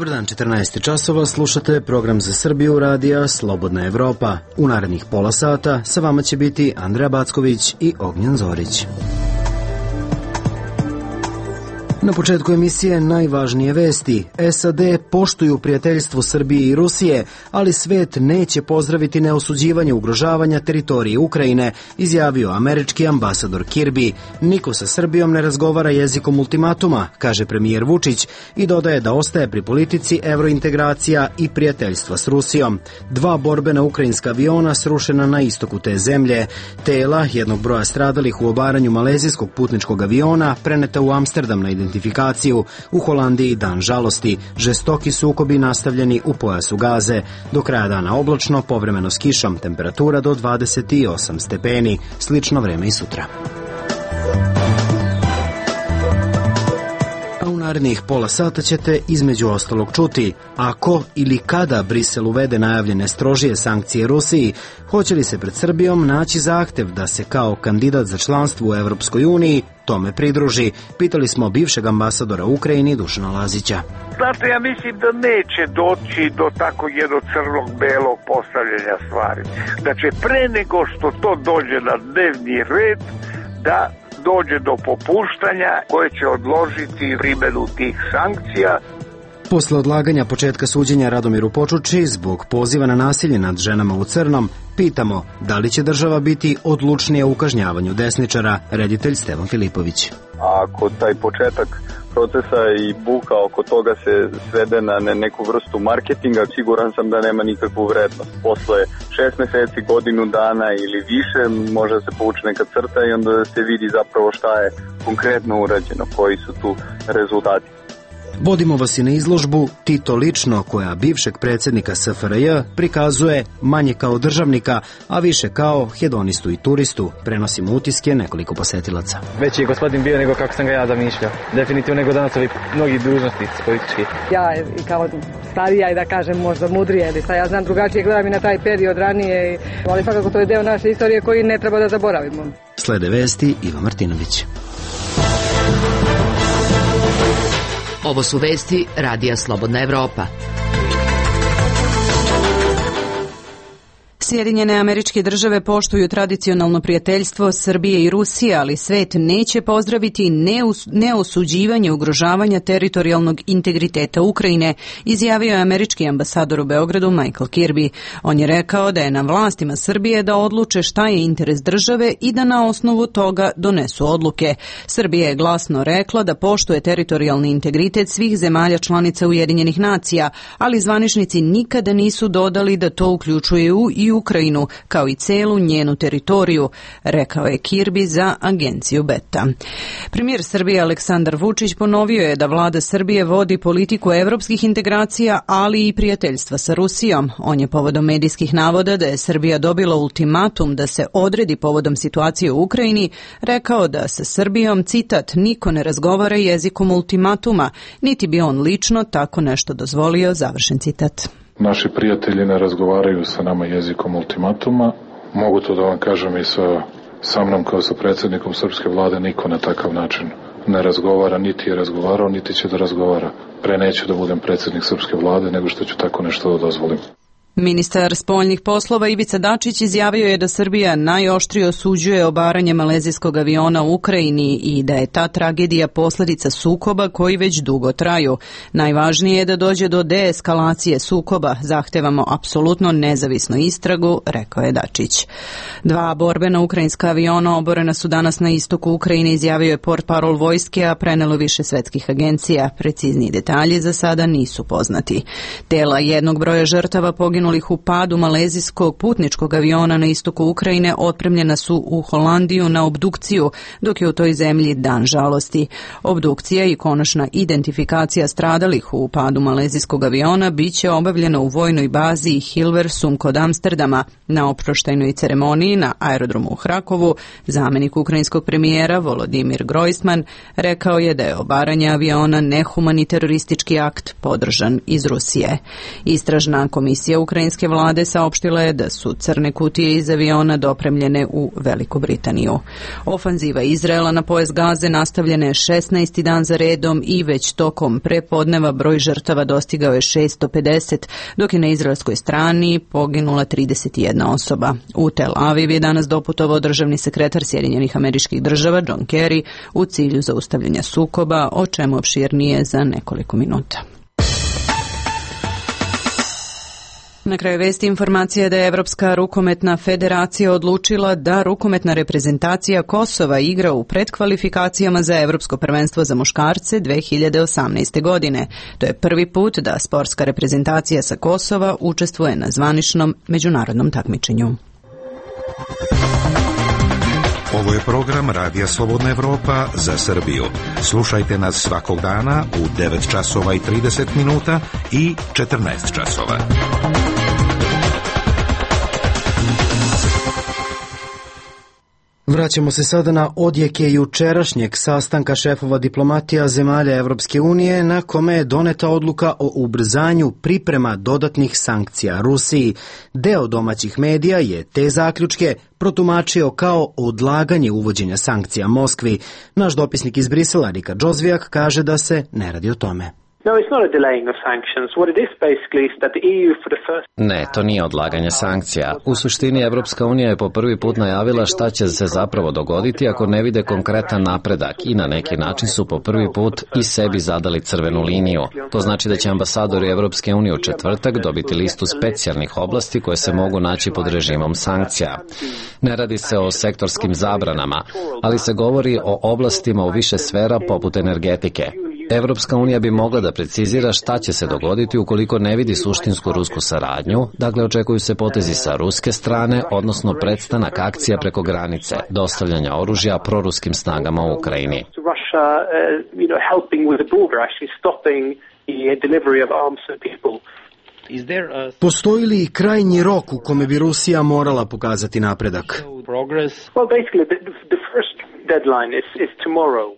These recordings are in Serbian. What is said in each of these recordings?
Dobar dan, 14 časova, slušate program za Srbiju radija Slobodna Evropa. U narednih pola sata sa vama će biti Andreja Backović i Ognjen Zorić. Na početku emisije najvažnije vesti. SAD poštuju prijateljstvo Srbije i Rusije, ali svet neće pozdraviti neosuđivanje ugrožavanja teritorije Ukrajine, izjavio američki ambasador Kirby. Niko sa Srbijom ne razgovara jezikom ultimatuma, kaže premijer Vučić i dodaje da ostaje pri politici evrointegracija i prijateljstva s Rusijom. 2 borbena ukrajinska aviona srušena na istoku te zemlje. Tela jednog broja stradalih u obaranju malezijskog putničkog aviona preneta u Amsterdam na identifikaciju. U Holandiji dan žalosti, žestoki sukobi nastavljeni u pojasu Gaze. Do kraja dana oblačno, povremeno s kišom, temperatura do 28 stepeni. Slično vreme i sutra. Narednih pola sata ćete između ostalog čuti ako ili kada Brisel uvede najavljene strožije sankcije Rusiji, hoće li se pred Srbijom naći zahtev da se kao kandidat za članstvo u Evropskoj uniji tome pridruži. Pitali smo bivšeg ambasadora u Ukrajini Dušana Lazića. Znate, ja mislim da neće doći do tako jednog crnog-belog postavljanja stvari. Da će pre nego što to dođe na dnevni red, da dođe do popuštanja koje će odložiti primjenu tih sankcija. Posle odlaganja početka suđenja Radomiru Počuči zbog poziva na nasilje nad ženama u crnom, pitamo da li će država biti odlučnija u kažnjavanju desničara, reditelj Stevan Filipović. Ako taj početak procesa i buka oko toga se svede na neku vrstu marketinga, siguran sam da nema nikakvu vrednost. Posle 6 meseci, godinu dana ili više može se povući neka crta i onda se vidi zapravo šta je konkretno urađeno, koji su tu rezultati. Vodimo vas i na izložbu Tito lično, koja bivšeg predsjednika SFRJ prikazuje manje kao državnika, a više kao hedonistu i turistu. Prenosimo utiske nekoliko posetilaca. Veći je gospodin bio nego kako sam ga ja zamišljao. Definitivno nego danas ovi mnogi dužnosnici politički. Ja kao starija i da kažem možda mudrije, ili ja znam drugačije, gledam i na taj period ranije, ali svakako to je deo naše istorije koji ne treba da zaboravimo. Slede vesti Iva Martinović. Ovo su vesti radija Slobodna Evropa. Sjedinjene Američke Države poštuju tradicionalno prijateljstvo Srbije i Rusije, ali svet neće pozdraviti neosuđivanje ugrožavanja teritorijalnog integriteta Ukrajine, izjavio je američki ambasador u Beogradu Michael Kirby. On je rekao da je na vlastima Srbije da odluče šta je interes države i da na osnovu toga donesu odluke. Srbija je glasno rekla da poštuje teritorijalni integritet svih zemalja članica Ujedinjenih nacija, ali zvaničnici nikada nisu dodali da to uključuje i Ukrajinu, kao i celu njenu teritoriju, rekao je Kirby za agenciju Beta. Premijer Srbije Aleksandar Vučić ponovio je da vlada Srbije vodi politiku evropskih integracija, ali i prijateljstva sa Rusijom. On je povodom medijskih navoda da je Srbija dobila ultimatum da se odredi povodom situacije u Ukrajini, rekao da sa Srbijom, citat, niko ne razgovara jezikom ultimatuma, niti bi on lično tako nešto dozvolio, završen citat. Naši prijatelji ne razgovaraju sa nama jezikom ultimatuma. Mogu to da vam kažem i sa mnom kao sa predsjednikom srpske vlade, niko na takav način ne razgovara, niti je razgovarao, niti će da razgovara. Pre neću da budem predsjednik srpske vlade nego što ću tako nešto da dozvolim. Ministar spoljnih poslova Ivica Dačić izjavio je da Srbija najoštrije osuđuje obaranje malezijskog aviona u Ukrajini i da je ta tragedija posljedica sukoba koji već dugo traju. Najvažnije je da dođe do deeskalacije sukoba. Zahtevamo apsolutno nezavisnu istragu, rekao je Dačić. 2 borbena ukrajinska aviona oborena su danas na istoku Ukrajine, izjavio je portparol vojske, a prenelo više svetskih agencija. Precizniji detalji za sada nisu poznati. Tela jednog broja žrtava poginulih u padu malezijskog putničkog aviona na istoku Ukrajine otpremljena su u Holandiju na obdukciju, dok je u toj zemlji dan žalosti. Obdukcija i konačna identifikacija stradalih u padu malezijskog aviona biće obavljena u vojnoj bazi Hilversum kod Amsterdama. Na oproštajnoj ceremoniji na aerodromu u Hrakovu zamjenik ukrajinskog premijera Volodimir Grojsman rekao je da je obaranje aviona nehumani teroristički akt podržan iz Rusije. Istražna komisija ukrajinske vlade saopštila je da su crne kutije iz aviona dopremljene u Veliku Britaniju. Ofanziva Izraela na pojas Gaze nastavljena je 16. dan za redom i već tokom prepodneva broj žrtava dostigao je 650, dok je na izraelskoj strani poginula 31 osoba. U Tel Aviv je danas doputovao državni sekretar Sjedinjenih Američkih Država John Kerry u cilju zaustavljanja sukoba, o čemu opširnije za nekoliko minuta. Na kraju vesti informacija da je Evropska rukometna federacija odlučila da rukometna reprezentacija Kosova igra u predkvalifikacijama za Evropsko prvenstvo za muškarce 2018. godine. To je prvi put da sportska reprezentacija sa Kosova učestvuje na zvaničnom međunarodnom takmičenju. Ovo je program Radija Slobodna Evropa za Srbiju. Slušajte nas svakog dana u 9 časova i 30 minuta i 14 časova. Vraćamo se sada na odjeke jučerašnjeg sastanka šefova diplomatija zemalja Evropske unije na kome je doneta odluka o ubrzanju priprema dodatnih sankcija Rusiji. Deo domaćih medija je te zaključke protumačio kao odlaganje uvođenja sankcija Moskvi. Naš dopisnik iz Brisela, Rika Džozvijak, kaže da se ne radi o tome. Ne, to nije odlaganje sankcija. U suštini Evropska unija je po prvi put najavila šta će se zapravo dogoditi ako ne vide konkretan napredak i na neki način su po prvi put i sebi zadali crvenu liniju. To znači da će ambasadori Evropske unije u četvrtak dobiti listu specijalnih oblasti koje se mogu naći pod režimom sankcija. Ne radi se o sektorskim zabranama, ali se govori o oblastima u više sfera poput energetike. Evropska unija bi mogla da precizira šta će se dogoditi ukoliko ne vidi suštinsku rusku saradnju, dakle očekuju se potezi sa ruske strane, odnosno prestanak akcija preko granice, dostavljanja oružja proruskim snagama u Ukrajini. Postoji li krajnji rok u kome bi Rusija morala pokazati napredak?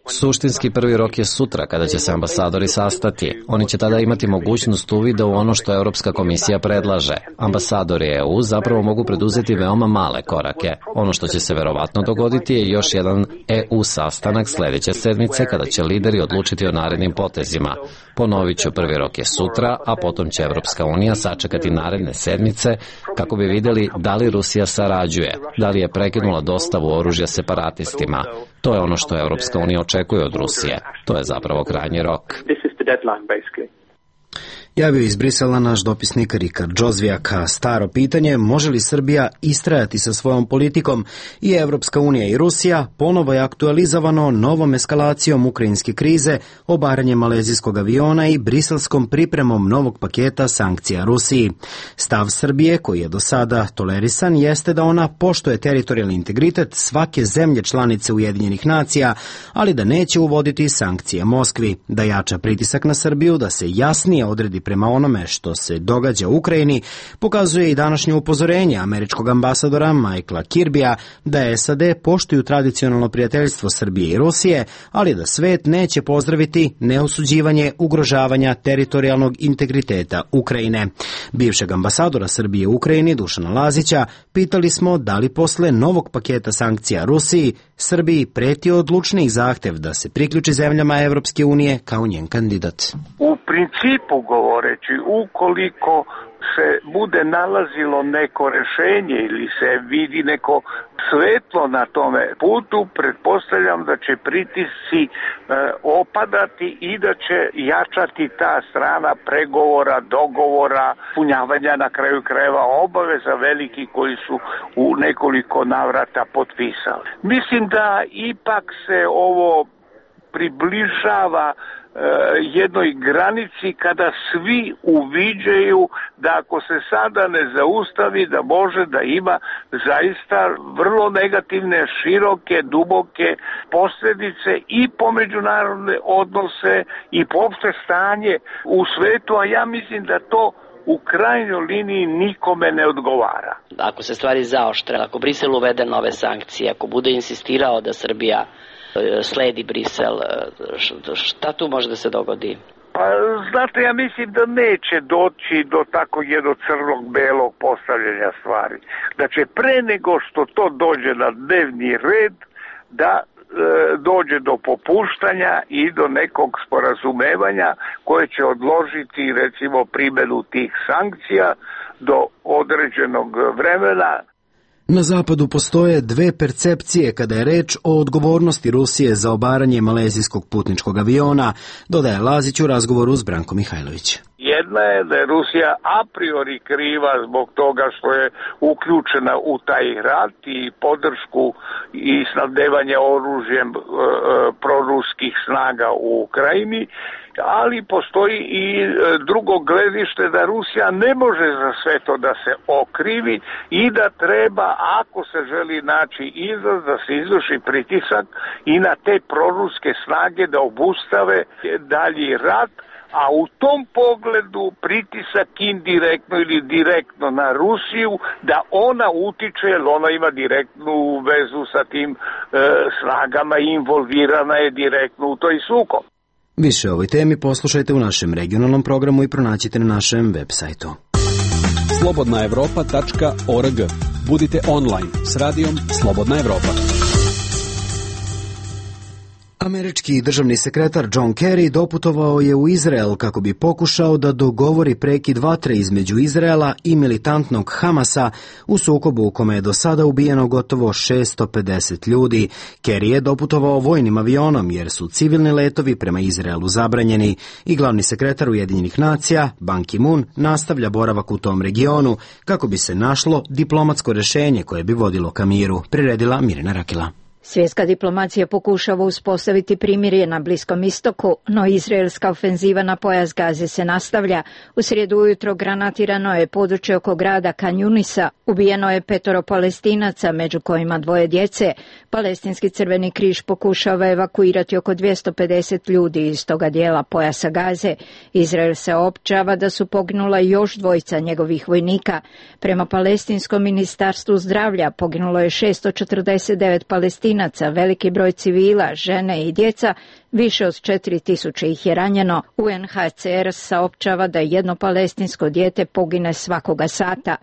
Suštinski prvi rok je sutra kada će se ambasadori sastati. Oni će tada imati mogućnost uvida u ono što Europska komisija predlaže. Ambasadori EU zapravo mogu preduzeti veoma male korake. Ono što će se verovatno dogoditi je još jedan EU sastanak sledeće sedmice kada će lideri odlučiti o narednim potezima. Ponovit ću, prvi rok je sutra, a potom će Evropska unija sačekati naredne sedmice kako bi videli da li Rusija sarađuje, da li je prekinula dostavu oružja separatistima. To je ono što Evropska unija očekuje od Rusije. To je zapravo krajnji rok. Javio iz Brisela naš dopisnik Rika Džozvijak. Staro pitanje, može li Srbija istrajati sa svojom politikom? I Evropska unija i Rusija ponovo je aktualizovano novom eskalacijom ukrajinske krize, obaranjem malezijskog aviona i briselskom pripremom novog paketa sankcija Rusiji. Stav Srbije, koji je do sada tolerisan, jeste da ona poštuje teritorijalni integritet svake zemlje članice Ujedinjenih nacija, ali da neće uvoditi sankcije Moskvi, da jača pritisak na Srbiju, da se jasnije odredi prema onome što se događa u Ukrajini, pokazuje i današnje upozorenje američkog ambasadora Michaela Kirbija da SAD poštuju tradicionalno prijateljstvo Srbije i Rusije, ali da svet neće pozdraviti neosuđivanje ugrožavanja teritorijalnog integriteta Ukrajine. Bivšeg ambasadora Srbije u Ukrajini, Dušana Lazića, pitali smo da li posle novog paketa sankcija Rusiji Srbiji preti odlučniji zahtev da se priključi zemljama Evropske unije kao njen kandidat. U principu govoreći, ukoliko se bude nalazilo neko rešenje ili se vidi neko svetlo na tome putu, pretpostavljam da će pritisci opadati i da će jačati ta strana pregovora, dogovora, punjavanja na kraju krajeva obaveza veliki koji su u nekoliko navrata potpisali. Mislim da ipak se ovo približava jednoj granici kada svi uviđaju da ako se sada ne zaustavi da može da ima zaista vrlo negativne, široke, duboke posljedice i po međunarodne odnose i po opšte stanje u svetu, a ja mislim da to u krajnjoj liniji nikome ne odgovara. Ako se stvari zaoštre, ako Brisel uvede nove sankcije, ako bude insistirao da Srbija sledi Brisel, šta tu može da se dogodi? Pa znate, ja mislim da neće doći do tako jednog crnog-belog postavljanja stvari. Da će pre nego što to dođe na dnevni red, da dođe do popuštanja i do nekog sporazumevanja koje će odložiti recimo primjenu tih sankcija do određenog vremena. Na zapadu postoje dve percepcije kada je reč o odgovornosti Rusije za obaranje malezijskog putničkog aviona, dodaje Lazić u razgovoru s Brankom Mihajlović. Jedna je da je Rusija a priori kriva zbog toga što je uključena u taj rat i podršku i snabdevanje oružjem proruskih snaga u Ukrajini, ali postoji i drugo gledište da Rusija ne može za sve to da se okrivi i da treba, ako se želi naći izlaz, da se izvrši pritisak i na te proruske snage da obustave dalji rat. A u tom pogledu pritisak indirektno ili direktno na Rusiju da ona utiče, jer ona ima direktnu vezu sa tim snagama i involvirana je direktno u toj sukob. Više o ovoj temi poslušajte u našem regionalnom programu i pronaćite na našem web sajtu. slobodnaevropa.org. Budite online s radijom Slobodna Evropa. Američki državni sekretar John Kerry doputovao je u Izrael kako bi pokušao da dogovori prekid vatre između Izraela i militantnog Hamasa u sukobu u kome je do sada ubijeno gotovo 650 ljudi. Kerry je doputovao vojnim avionom jer su civilni letovi prema Izraelu zabranjeni i glavni sekretar Ujedinjenih nacija, Ban Ki-moon, nastavlja boravak u tom regionu kako bi se našlo diplomatsko rješenje koje bi vodilo ka miru, priredila Mirjana Rakela. Svjetska diplomacija pokušava uspostaviti primirje na Bliskom istoku, no izraelska ofenziva na pojas Gaze se nastavlja. U srijedu ujutro granatirano je područje oko grada Kan Junisa, ubijeno je 5 Palestinaca, među kojima 2 djece. Palestinski crveni križ pokušava evakuirati oko 250 ljudi iz toga dijela pojasa Gaze. Izrael se općava da su poginula još 2 njegovih vojnika. Prema Palestinskom ministarstvu zdravlja poginulo je 649 Palestinaca, veliki broj civila, žene i djeca, više od 4000 ih je ranjeno. UNHCR saopćava da jedno palestinsko dijete pogine svakoga sata.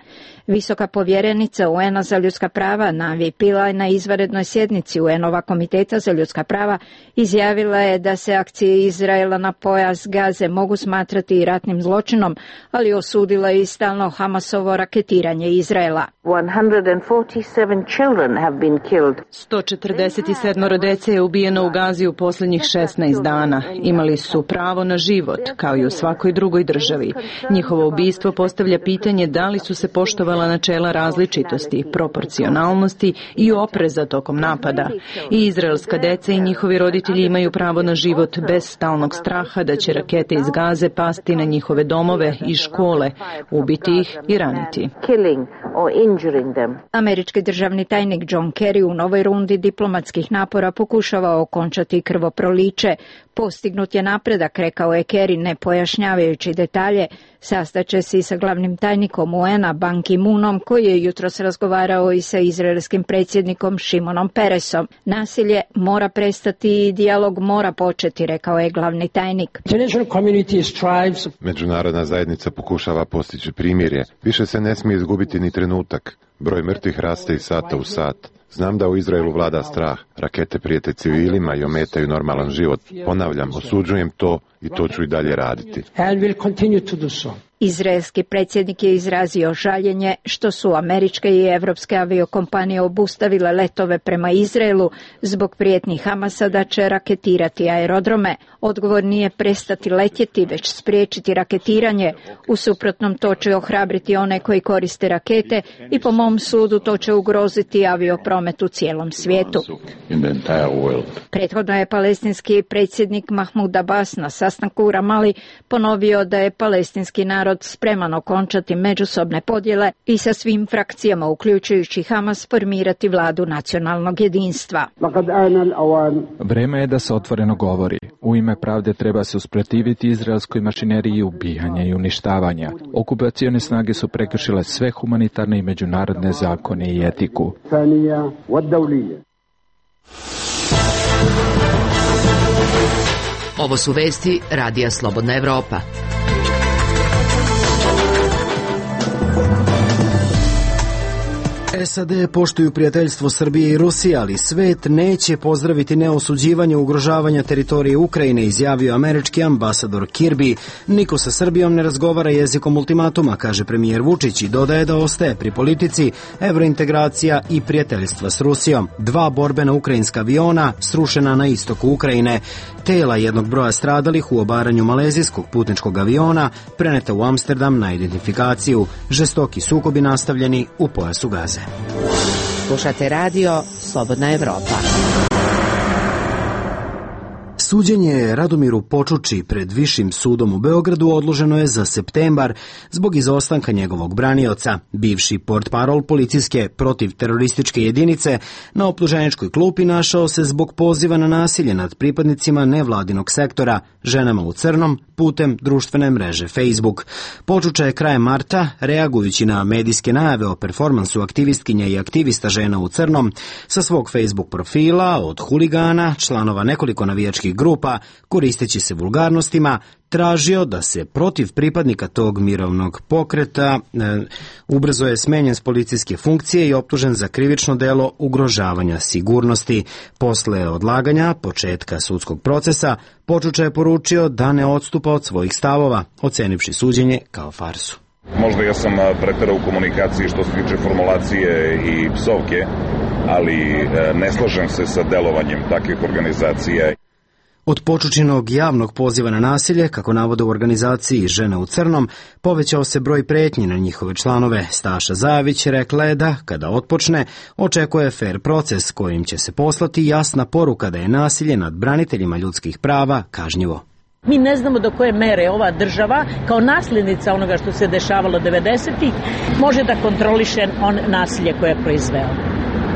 Visoka povjerenica UN-a za ljudska prava Navi Pillay na izvanrednoj sjednici UN-ova komiteta za ljudska prava izjavila je da se akcije Izraela na pojas Gaze mogu smatrati i ratnim zločinom, ali osudila je i stalno Hamasovo raketiranje Izraela. 147 dece je ubijeno u Gazi u posljednjih 16 dana. Imali su pravo na život, kao i u svakoj drugoj državi. Njihovo ubistvo postavlja pitanje da li su se poštovala načela različitosti, proporcionalnosti i opreza tokom napada. I izraelska deca i njihovi roditelji imaju pravo na život bez stalnog straha da će rakete iz Gaze pasti na njihove domove i škole, ubiti ih i raniti. Američki državni tajnik John Kerry u novoj rundi diplomatskih napora pokušava okončati krvoproliće. Postignut je napredak, rekao je Kerry, ne pojašnjavajući detalje. Sastaće se i sa glavnim tajnikom UN-a Ban Ki-moonom, koji je jutros razgovarao i sa izraelskim predsjednikom Šimonom Peresom. Nasilje mora prestati i dijalog mora početi, rekao je glavni tajnik. Međunarodna zajednica pokušava postići primirje. Više se ne smije izgubiti ni trenutak. Broj mrtvih raste iz sata u sat. Znam da u Izraelu vlada strah. Rakete prijete civilima i ometaju normalan život. Ponavljam, osuđujem to i to ću i dalje raditi. Izraelski predsjednik je izrazio žaljenje što su američke i evropske aviokompanije obustavile letove prema Izraelu zbog prijetnji Hamasa da će raketirati aerodrome. Odgovor nije prestati letjeti, već spriječiti raketiranje. U suprotnom to će ohrabriti one koji koriste rakete i po mom sudu to će ugroziti aviopromet u cijelom svijetu. Prethodno je palestinski predsjednik Mahmud Abbas na sastanku u Ramali ponovio da je palestinski narod spreman okončati međusobne podjele i sa svim frakcijama, uključujući Hamas, formirati vladu nacionalnog jedinstva. Vreme je da se otvoreno govori. U ime pravde treba se usprotiviti izraelskoj mašineriji ubijanja i uništavanja. Okupacione snage su prekršile sve humanitarne i međunarodne zakone i etiku. Ovo su vesti Radija Slobodna Evropa. SAD poštuju prijateljstvo Srbije i Rusije, ali svet neće pozdraviti neosuđivanje ugrožavanja teritorije Ukrajine, izjavio američki ambasador Kirby. Niko sa Srbijom ne razgovara jezikom ultimatuma, kaže premijer Vučić i dodaje da ostaje pri politici evrointegracija i prijateljstva s Rusijom. 2 borbena ukrajinska aviona srušena na istoku Ukrajine. Tela jednog broja stradalih u obaranju malezijskog putničkog aviona preneta u Amsterdam na identifikaciju. Žestoki sukobi nastavljeni u pojasu Gaze. Slušate radio Slobodna Evropa. Suđenje Radomiru Počuči pred Višim sudom u Beogradu odloženo je za septembar zbog izostanka njegovog branioca. Bivši portparol policijske protivterorističke jedinice na optuženičkoj klupi našao se zbog poziva na nasilje nad pripadnicima nevladinog sektora, ženama u crnom, putem društvene mreže Facebook. Počuča je krajem marta, reagujući na medijske najave o performansu aktivistkinja i aktivista žena u crnom, sa svog Facebook profila od huligana, članova nekoliko navijačkih grupa, koristeći se vulgarnostima, tražio da se protiv pripadnika tog mirovnog pokreta ubrzo je smenjen s policijske funkcije i optužen za krivično delo ugrožavanja sigurnosti. Posle odlaganja početka sudskog procesa, Počuča je poručio da ne odstupa od svojih stavova, ocenivši suđenje kao farsu. Možda ja sam preterao u komunikaciji što se tiče formulacije i psovke, ali ne slažem se sa delovanjem takvih organizacija. Od Počučinog javnog poziva na nasilje, kako navode u organizaciji Žene u crnom, povećao se broj pretnji na njihove članove. Staša Zajević rekla je da, kada otpočne, očekuje fer proces kojim će se poslati jasna poruka da je nasilje nad braniteljima ljudskih prava kažnjivo. Mi ne znamo do koje mere ova država, kao nasljednica onoga što se dešavalo 90-ih, može da kontroliše nasilje koje je proizveo.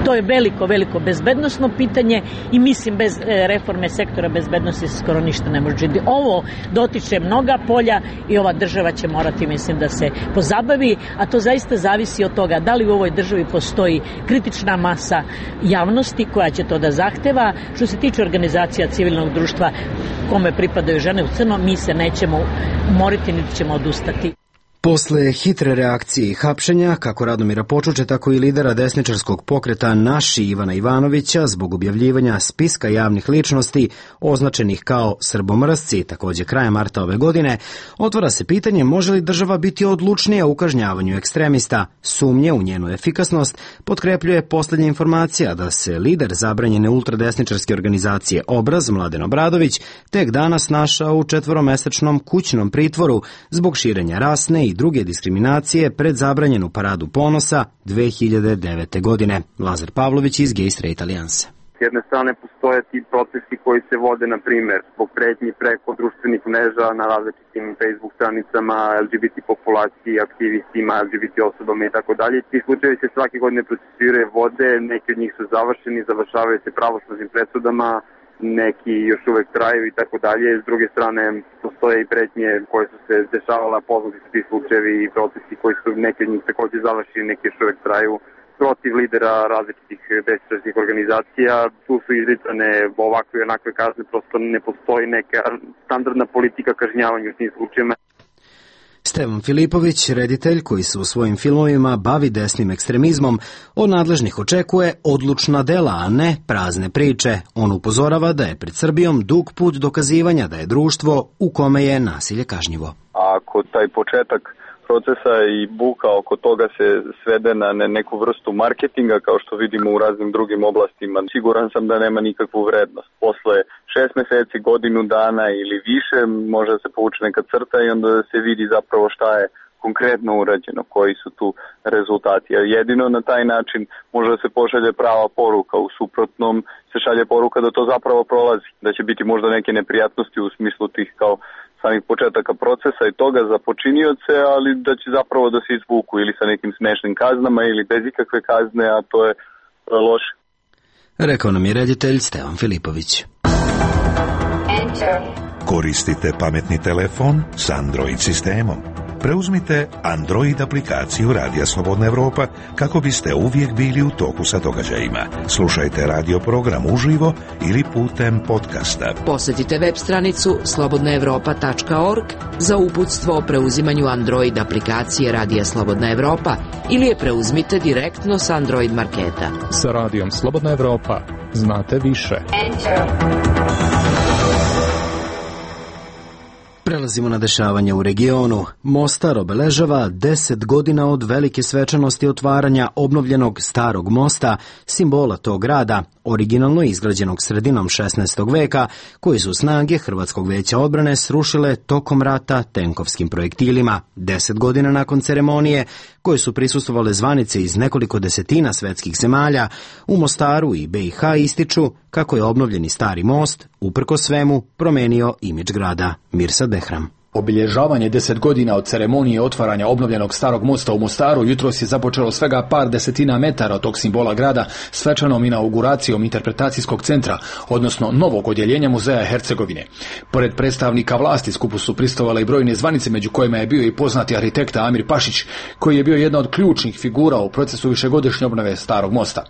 To je veliko bezbednosno pitanje i mislim bez reforme sektora bezbednosti se skoro ništa ne može činiti. Ovo dotiče mnoga polja i ova država će morati, mislim, da se pozabavi, a to zaista zavisi od toga da li u ovoj državi postoji kritična masa javnosti koja će to da zahteva. Što se tiče organizacija civilnog društva kome pripadaju Žene u crnom, mi se nećemo umoriti niti ćemo odustati. Posle hitre reakcije i hapšenja, kako Radomira Počuče, tako i lidera desničarskog pokreta Naši Ivana Ivanovića, zbog objavljivanja spiska javnih ličnosti označenih kao srbomrsci, također krajem marta ove godine, otvara se pitanje može li država biti odlučnija u kažnjavanju ekstremista. Sumnje u njenu efikasnost potkrepljuje posljednja informacija da se lider zabranjene ultradesničarske organizacije Obraz, Mladen Obradović, tek danas našao u 4-mesečnom kućnom pritvoru zbog širenja rasne i druge diskriminacije pred zabranjenu paradu ponosa 2009. godine. Lazar Pavlović iz Gay Straight Alliance. S jedne strane postoje ti procesi koji se vode, na primjer, zbog pretnji preko društvenih mreža na različitim Facebook stranicama, LGBT populaciji, aktivistima, LGBT osobama i tako dalje. Ti slučajevi se svake godine procesuiraju, vode, neki od njih su završeni, završavaju se pravosnažnim presudama, neki još uvek traju i tako dalje. S druge strane, postoje i pretnje koje su se dešavala, poznati su ti slučajevi i procesi koji su neki od njih također završeni, neki još uvek traju protiv lidera različitih desničarskih organizacija. Tu su izricane ovakve i onakve kazne, prosto ne postoji neka standardna politika kažnjavanja u tim slučajevima. Stevan Filipović, reditelj koji se u svojim filmovima bavi desnim ekstremizmom, od nadležnih očekuje odlučna dela, a ne prazne priče. On upozorava da je pred Srbijom dug put dokazivanja da je društvo u kome je nasilje kažnjivo. Ako taj početak procesa i buka oko toga se svede na neku vrstu marketinga, kao što vidimo u raznim drugim oblastima, siguran sam da nema nikakvu vrednost. Posle 6 meseci, godinu dana ili više može se povući neka crta i onda se vidi zapravo šta je konkretno urađeno, koji su tu rezultati. A jedino na taj način može da se pošalje prava poruka, u suprotnom se šalje poruka da to zapravo prolazi, da će biti možda neke neprijatnosti u smislu tih kao samih početaka procesa i toga za počinioce, ali da će zapravo da se izvuku ili sa nekim smešnim kaznama ili bez ikakve kazne, a to je loše. Rekao nam je reditelj Stevan Filipović. Koristite pametni telefon s Android sistemom. Preuzmite Android aplikaciju Radija Slobodna Evropa kako biste uvijek bili u toku sa događajima. Slušajte radio program uživo ili putem podcasta. Posjetite web stranicu slobodnaevropa.org za uputstvo o preuzimanju Android aplikacije Radija Slobodna Evropa ili je preuzmite direktno s Android marketa. Sa Radijom Slobodna Evropa znate više. Prelazimo na dešavanje u regionu. Mostar obeležava 10 godina od velike svečanosti otvaranja obnovljenog Starog mosta, simbola tog grada, originalno izgrađenog sredinom 16. veka, koji su snage Hrvatskog veća odbrane srušile tokom rata tenkovskim projektilima. 10 godina nakon ceremonije, koje su prisustvovale zvanice iz nekoliko desetina svetskih zemalja, u Mostaru i BiH ističu kako je obnovljeni Stari most, uprkos svemu, promenio imidž grada. Mirsad Behram. Obilježavanje 10 godina od ceremonije otvaranja obnovljenog Starog mosta u Mostaru jutros je započelo svega par desetina metara od tog simbola grada svečanom inauguracijom interpretacijskog centra, odnosno novog odjeljenja muzeja Hercegovine. Pored predstavnika vlasti skupu su pristovale i brojne zvanice, među kojima je bio i poznati arhitekta Amir Pašić, koji je bio jedna od ključnih figura u procesu višegodišnje obnove Starog mosta.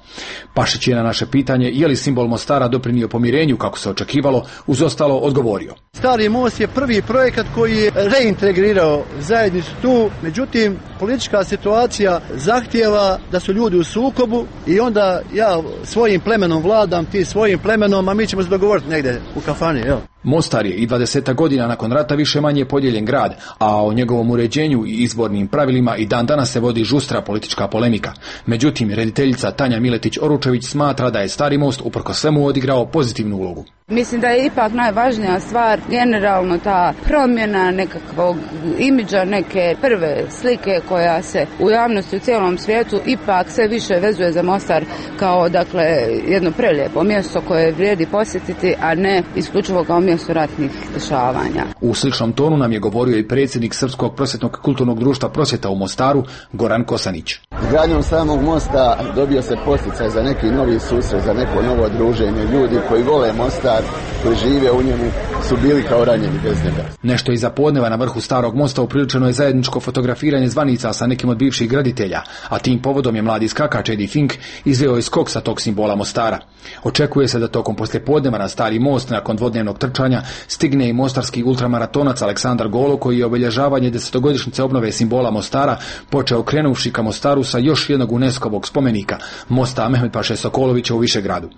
Pašić je na naše pitanje je li simbol Mostara doprinio pomirenju kako se očekivalo, uz ostalo odgovorio. Stari most je prvi projekat koji je reintegrirao zajednicu tu, međutim politička situacija zahtijeva da su ljudi u sukobu i onda ja svojim plemenom vladam, ti svojim plemenom, a mi ćemo se dogovoriti negdje u kafani. Evo. Mostar je i 20 godina nakon rata više manje podijeljen grad, a o njegovom uređenju i izbornim pravilima i dan danas se vodi žustra politička polemika. Međutim, rediteljica Tanja Miletić-Oručević smatra da je Stari most uprkos svemu odigrao pozitivnu ulogu. Mislim da je ipak najvažnija stvar generalno ta promjena nekakvog imidža, neke prve slike koja se u javnosti u cijelom svijetu ipak sve više vezuje za Mostar kao dakle jedno prelijepo mjesto koje vrijedi posjetiti, a ne isključivo kao mjesto ratnih dešavanja. U sličnom tonu nam je govorio i predsjednik Srpskog prosvjetnog kulturnog društva Prosvjeta u Mostaru, Goran Kosanić. Izgradnjom samog mosta dobio se poticaj za neki novi susret, za neko novo druženje. Ljudi koji vole Mostar, koji žive u njemu, su bili kao ranjeni bez njega. Nešto iza podneva na vrhu Starog mosta upriličeno je zajedničko fotografiranje zvanica sa nekim od bivših graditelja, a tim povodom je mladi skakač Eddie Fink izveo skok sa tog simbola Mostara. Očekuje se da tokom poslijepodneva na Stari most nakon dvodnevnog trčanja stigne i mostarski ultramaratonac Aleksandar Golo, koji je obilježavanje 10-godišnjice obnove simbola Mostara počeo krenuvši ka Mostaru sa još jednog UNESCO-vog spomenika, mosta Mehmed-paše Sokolovića u Višegradu.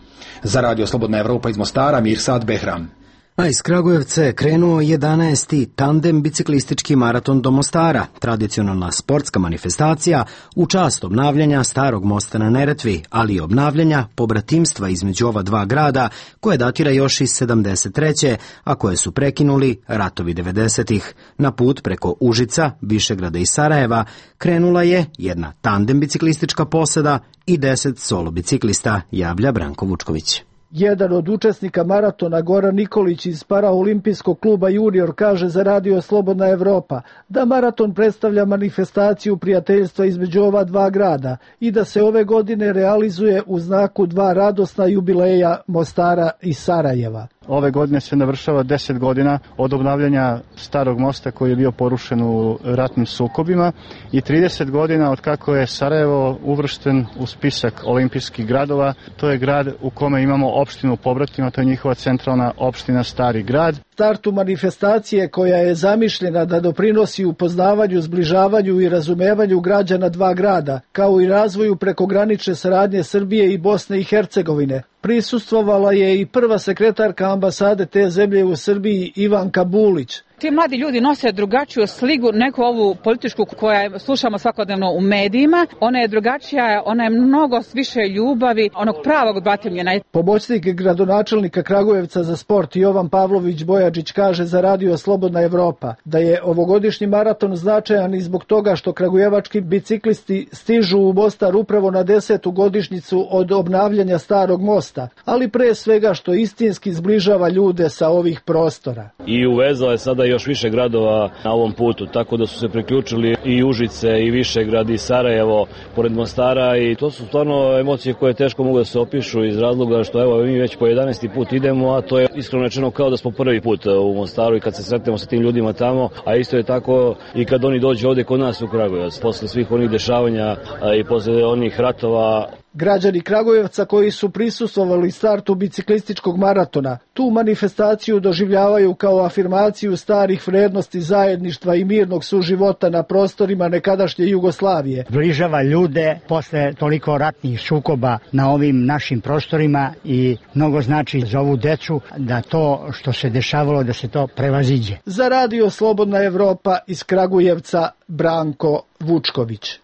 Za Radio Slobodna Evropa iz Mostara, Mirsad Behram. A iz Kragujevca je krenuo 11. tandem biciklistički maraton do Mostara, tradicionalna sportska manifestacija u čast obnavljanja Starog mosta na Neretvi, ali i obnavljanja pobratimstva između ova dva grada koje datira još iz 73. a koje su prekinuli ratovi 90-ih. Na put preko Užica, Višegrada i Sarajeva krenula je jedna tandem biciklistička posada i 10 solo biciklista, javlja Branko Vučković. Jedan od učesnika maratona, Goran Nikolić iz Paraolimpijskog kluba Junior, kaže za Radio Slobodna Evropa da maraton predstavlja manifestaciju prijateljstva između ova dva grada i da se ove godine realizuje u znaku dva radosna jubileja Mostara i Sarajeva. Ove godine se navršava 10 godina od obnavljanja Starog mosta koji je bio porušen u ratnim sukobima i 30 godina od kako je Sarajevo uvršten u spisak olimpijskih gradova. To je grad u kome imamo opštinu pobratima, to je njihova centralna opština Stari grad. Startu manifestacije koja je zamišljena da doprinosi upoznavanju, zbližavanju i razumevanju građana dva grada, kao i razvoju prekogranične saradnje Srbije i Bosne i Hercegovine. Prisustvovala je i prva sekretarka ambasade te zemlje u Srbiji, Ivanka Bulić. Ti mladi ljudi nose drugačiju sliku neku ovu političku koja slušamo svakodnevno u medijima. Ona je drugačija, ona je mnogo više ljubavi, onog pravog batimljena. Pomoćnik gradonačelnika Kragujevca za sport Jovan Pavlović Bojačić kaže za Radio Slobodna Evropa da je ovogodišnji maraton značajan i zbog toga što kragujevački biciklisti stižu u Mostar upravo na 10. godišnjicu od obnavljanja Starog mosta, ali pre svega što istinski zbližava ljude sa ovih prostora. I uvezao je sada još više gradova na ovom putu, tako da su se priključili i Užice i Višegrad i Sarajevo pored Mostara i to su stvarno emocije koje teško mogu da se opišu iz razloga što evo mi već po 11. put idemo, a to je iskreno rečeno kao da smo prvi put u Mostaru i kad se sretnemo sa tim ljudima tamo, a isto je tako i kad oni dođu ovde kod nas u Kragujevac, posle svih onih dešavanja i posle onih ratova. Građani Kragujevca koji su prisustvovali startu biciklističkog maratona tu manifestaciju doživljavaju kao afirmaciju starih vrednosti zajedništva i mirnog suživota na prostorima nekadašnje Jugoslavije. Bližava ljude posle toliko ratnih sukoba na ovim našim prostorima i mnogo znači za ovu decu da to što se dešavalo da se to prevaziđe. Za Radio Slobodna Evropa iz Kragujevca Branko Vučković.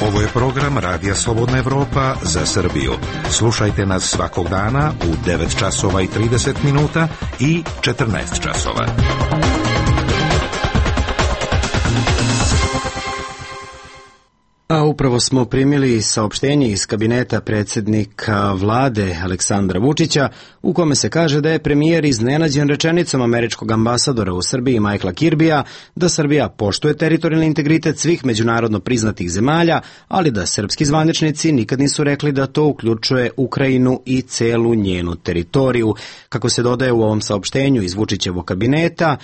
Ovo je program Radija Slobodna Evropa za Srbiju. Slušajte nas svakog dana u 9 časova i 30 minuta i 14 časova. A upravo smo primili saopštenje iz kabineta predsjednika vlade Aleksandra Vučića u kome se kaže da je premijer iznenađen rečenicom američkog ambasadora u Srbiji Michaela Kirbija da Srbija poštuje teritorijalni integritet svih međunarodno priznatih zemalja, ali da srpski zvaničnici nikad nisu rekli da to uključuje Ukrajinu i celu njenu teritoriju. Kako se dodaje u ovom saopštenju iz Vučićevog kabineta,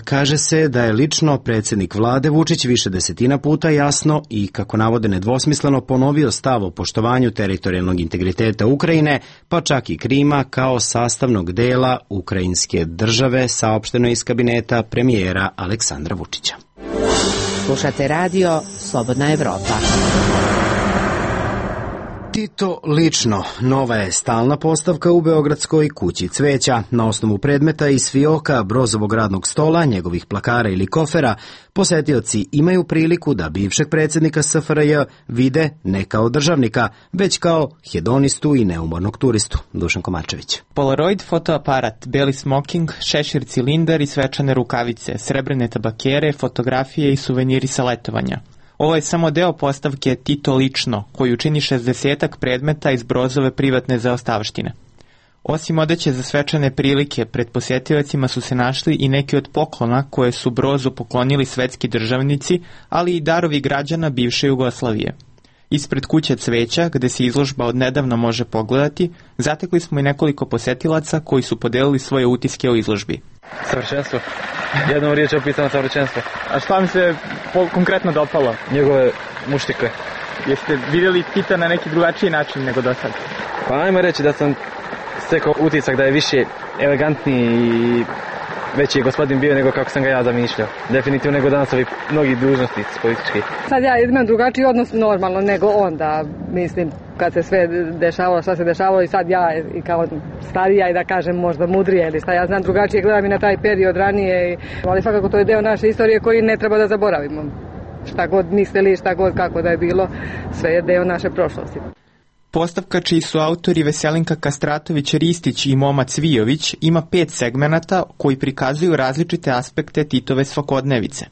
kaže se da je lično predsjednik vlade Vučić više desetina puta jasno i, kako navode, nedvosmisleno ponovio stav o poštovanju teritorijalnog integriteta Ukrajine, pa čak i Krima kao sastavnog dela ukrajinske države, saopšteno iz kabineta premijera Aleksandra Vučića. Slušate radio Slobodna Evropa. Tito lično, nova je stalna postavka u Beogradskoj kući cveća. Na osnovu predmeta iz fioka Brozovog radnog stola, njegovih plakara ili kofera, posetioci imaju priliku da bivšeg predsjednika SFRJ vide ne kao državnika, već kao hedonistu i neumornog turistu. Dušan Komarčević. Polaroid fotoaparat, beli smoking, šešir cilindar i svečane rukavice, srebrne tabakere, fotografije i suveniri sa letovanja. Ovo je samo deo postavke Tito lično, koju čini 60-ak predmeta iz Brozove privatne zaostavštine. Osim odeće za svečane prilike, pred posjetiocima su se našli i neki od poklona koje su Brozu poklonili svetski državnici, ali i darovi građana bivše Jugoslavije. Ispred kuće cveća, gde se izložba od nedavno može pogledati, zatekli smo i nekoliko posjetilaca koji su podelili svoje utiske o izložbi. Savršenstvo. Jednom riječ je opisano savršenstvo. A šta mi se konkretno dopalo? Njegove muštike. Jeste vidjeli Tita na neki drugačiji način nego do sad? Pa ajmo reći da sam stekao utisak da je više elegantniji i veći je gospodin bio nego kako sam ga ja zamišljao. Definitivno nego danas ovi mnogi dužnosnici politički. Sad ja imam drugačiji odnos normalno nego onda, mislim, kad se sve dešavalo, šta se dešavalo i sad ja i kao starija i da kažem možda mudrije ili šta ja znam drugačije gledam i na taj period ranije, ali svakako to je deo naše istorije koji ne treba da zaboravimo. Šta god mislili, šta god kako da je bilo, sve je deo naše prošlosti. Postavka čiji su autori Veselinka Kastratović-Ristić i Moma Cvijović ima 5 segmenata koji prikazuju različite aspekte Titove svakodnevice.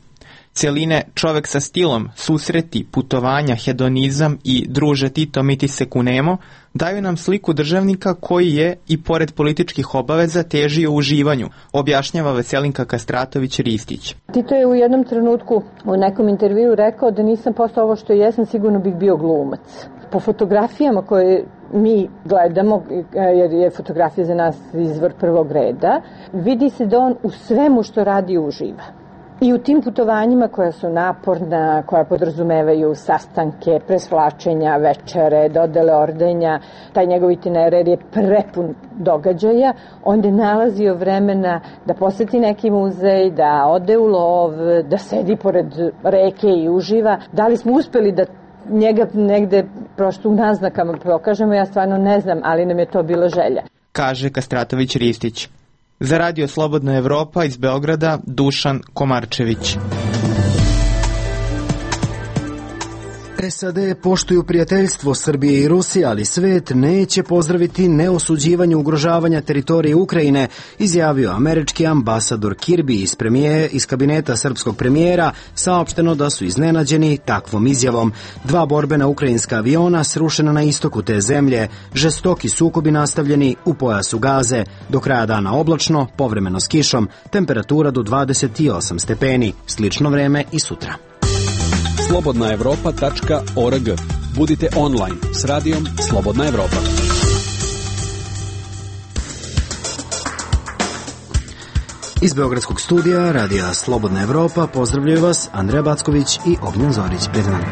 Celine Čovek sa stilom, susreti, putovanja, hedonizam i Druže Tito mi ti se kunemo daju nam sliku državnika koji je, i pored političkih obaveza, težio uživanju, objašnjava Veselinka Kastratović-Ristić. Tito je u jednom trenutku u nekom intervju rekao da nisam postao ovo što jesam, sigurno bih bio glumac. Po fotografijama koje mi gledamo, jer je fotografija za nas izvor prvog reda, vidi se da on u svemu što radi uživa. I u tim putovanjima koja su naporna, koja podrazumevaju sastanke, presvlačenja, večere, dodele ordenja, taj njegov itinerar je prepun događaja, onda je nalazio vremena da poseti neki muzej, da ode u lov, da sedi pored reke i uživa. Da li smo uspeli da njega negde prosto u naznakama pokažemo, ja stvarno ne znam, ali nam je to bila želja. Kaže Kastratović-Ristić. Za Radio Slobodna Evropa iz Beograda, Dušan Komarčević. SAD poštuju prijateljstvo Srbije i Rusije, ali svet neće pozdraviti neosuđivanje ugrožavanja teritorije Ukrajine, izjavio američki ambasador Kirby iz kabineta srpskog premijera. Saopšteno da su iznenađeni takvom izjavom. 2 borbena ukrajinska aviona srušena na istoku te zemlje, žestoki sukobi nastavljeni u pojasu Gaze, do kraja dana oblačno, povremeno s kišom, temperatura do 28 stepeni, slično vreme i sutra. slobodnaevropa.org. Budite online s radijom Slobodna Evropa. Iz Beogradskog studija radija Slobodna Evropa pozdravljaju vas Andreja Backović i Ognjen Zorić. Pred nama.